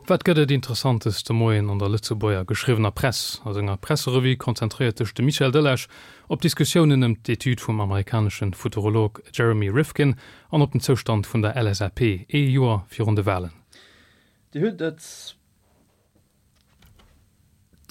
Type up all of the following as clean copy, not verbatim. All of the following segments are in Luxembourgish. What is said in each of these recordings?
Wat gëtt et Interessantes de Moien an der Lëtzebuerger geschriwwener Press? A senger Presserevue konzentréiert sech de Michel Delage op d'Diskussiounen ëm d'Etüd vum amerikanesche Futurolog Jeremy Rifkin an op den Zoustand vun der LSAP ee Joer virun de Walen. Dir hutt et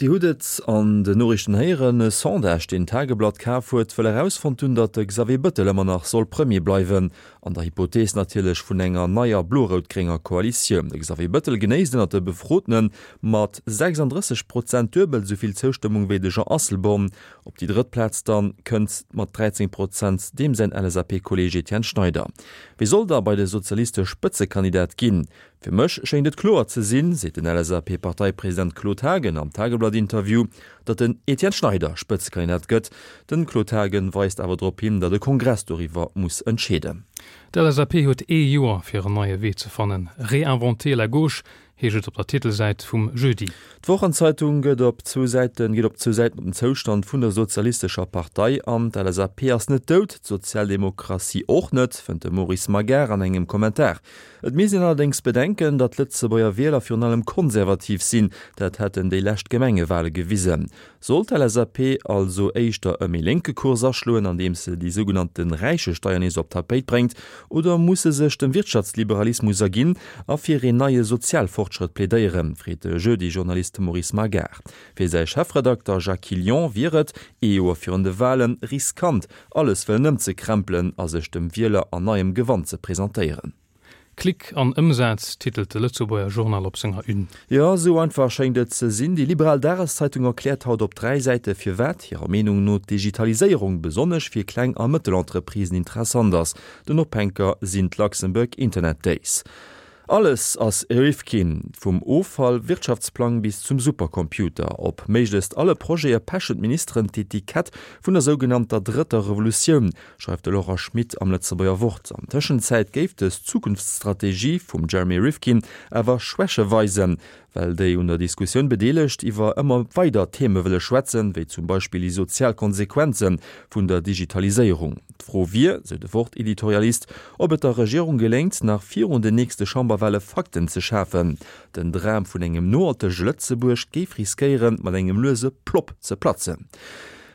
Dir hutt et an den Noriichten héieren, E Sondage, deen d'Tageblatt kaf huet, wëll erausfonnt hunn, datt de Xavier Bëttel ëmmer nach soll Premier bleiwen. An der Hypothees natierlech vun enger neier blo-rout-grénger Koalitioun. De Xavier Bëttel genéisst ënnert de Befrotene mat 36 Prozent duebel esou vill Zoustëmmung wéi de Jean Asselborn. Op déi drëtt Plaz dann kënnt mat 13 Prozent deem säin LSAP-Kolleeg Etienne Schneider. Wie soll da bei de Sozialiste Spëtzekandidat ginn? Fir mech schéngt et kloer ze sinn, seet den LSAP-Parteipresident Claude Haagen am Tageblatt-Interview, datt den Etienne Schneider Spëtzekandidat gëtt. Den Claude Haagen weist awer drop hin, datt e Kongress doriwwer muss entscheeden. D'LSAP huet ee Joer fir en neie Wee ze fannen. Réinventer la gauche heescht et op der Titelsäit vum Jeudi. D'Wochenzeitung gëtt op zwou Säiten geet op zwou Säiten op den Zoustand vun der sozialistescher Partei an. D'LSAP ass net dout, d'Sozialdemokratie och net, fënnt de Maurice Magar an engem Kommentar. Et misst een allerdéngs bedenken, datt d'Lëtzebuerger Wieler virun allem konservativ sinn, dat hätten déi lescht Gemengewale gewisen. Sollt d'LSAP also éischter e méi lénke Kurs aschloen, andeems se déi sougenannte Räichesteier nees op d'Tapéit bréngt, oder muss se sech dem Wirtschaftsliberalismus erginn a fir een neie Sozialfortschrëtt plädéieren, freet de Jeudi-Journalist Maurice Magar. Fir säi Chefredakter Jacques Quillion wier et, ee Joer virun de Walen, riskant, alles wëllen ëmzekrämpelen a sech dem Wieler an neiem Gewand ze presentéieren. Klick an Ëmsaz, titelt de Lëtzebuerger Journal op senger Une. Jo, esou einfach schéngt et ze sinn. Déi liberal Dageszeitung erkläert haut op 3 Säite firwat hirer Meenung no d'Digitaliséierung besonnesch fir Kleng a Mëttelentreprisen interessant ass. Den Ophänker sinn d'Luxembourg Internet Days. Alles ass Rifkin, vum Offall-Wirtschaftsplang bis zum Supercomputer. Op méiglechst alle Projete pechen d'Ministeren d'Etikett vun der sougenannter drëtter Revolutioun, schreift de Laurent Schmit am Lëtzebuerger Wort. An Tëschenzäit géif dës Zukunftsstrategie vum Jeremy Rifkin awer Schwäche weisen, well déi un der Diskussioun Bedeelegt iwwer ëmmer weider Theme wëlle schwätzen, wéi zum Beispill déi sozial Konsequenze vun der Digitaliséierung. D'Fro wier, sou de Wort-Editorialist, ob et der Regierung geléngt, nach virun den nächste Chamberwale Fakten ze schafen. Den Dram vun engem nohaltege Lëtzebuerg géif riskéieren, mat engem luese Plopp ze platzen.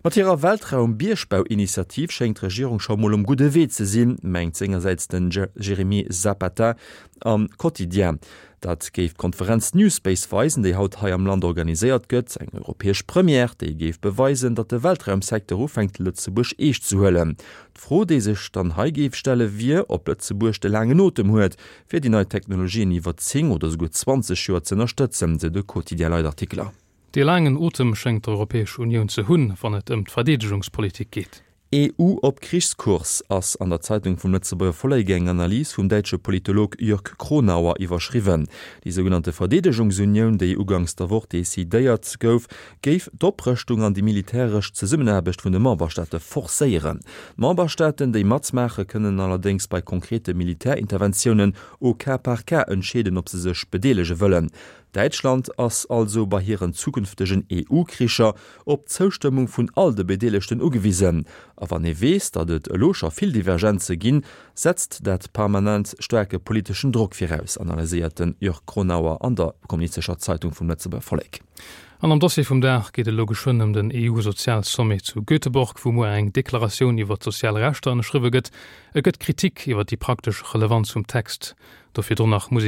Mat hirer Weltraum-Biergbau-Initiativ schéngt d'Regierung scho mol um gudde Wee ze sinn, mengt sengersäits den Jérémie Zapata am Quotidien. Dat géif d'Konferenz New Space weisen, déi haut hei am Land organiséiert gëtt. Eng europäesch Première, déi géif beweisen, datt de Weltraumsecteur ufänkt Lëtzebuerg eescht ze huelen. D'Fro, déi sech dann hei géif stelle wier, ob Lëtzebuerg de laangen Otem huet, fir déi nei Technologien iwwer 10 oder souguer 20 Joer z'ënnerstëtzen, sou de Quotidien-Leitartikler. Dee laangen Otem schéngt d'Europäesch Unioun ze hunn, wann et ëm d'Verdeedegungspolitik geet. EU op Krichskurs ass an der Zeitung vum Lëtzebuerger Vollek eng Analys vum däitsche Politolog Jörg Kronauer iwwerschriwwen. Déi sougenannte Verdeedegungsunioun, déi uganks der Woch decidéiert gouf, géif d'Oprëschtung an déi militäresch Zesummenaarbecht vun de Memberstaate forcéieren. D'Memberstaaten, déi matmaache, kënnen allerdéngs bei konkrete Militärinterventiounen au cas par cas entscheeden, ob se sech bedeelege wëllen. Däitschland ass also bei hiren zukünftegen EU-Kricher op d'Zoustëmmung vun all de Bedeelegten ugewisen. A wann ee weess, datt et elo scho vill Divergenze ginn, setzt dat permanent staarke politeschen Drock viraus, analyséiert de Jörg Kronauer an der Kommunistescher Zeitung vum Lëtzebuerger Vollek. An am Dossier vum Dag geet et elo geschwënn ëm den EU-Sozialsommet zu Göteborg, wou muer eng Deklaratioun iwwer d'sozial Rechter ënnerschriwwe gëtt. Et gëtt Kritik iwwer déi praktesch Relevanz vum Text. Do virdrun nach Musek.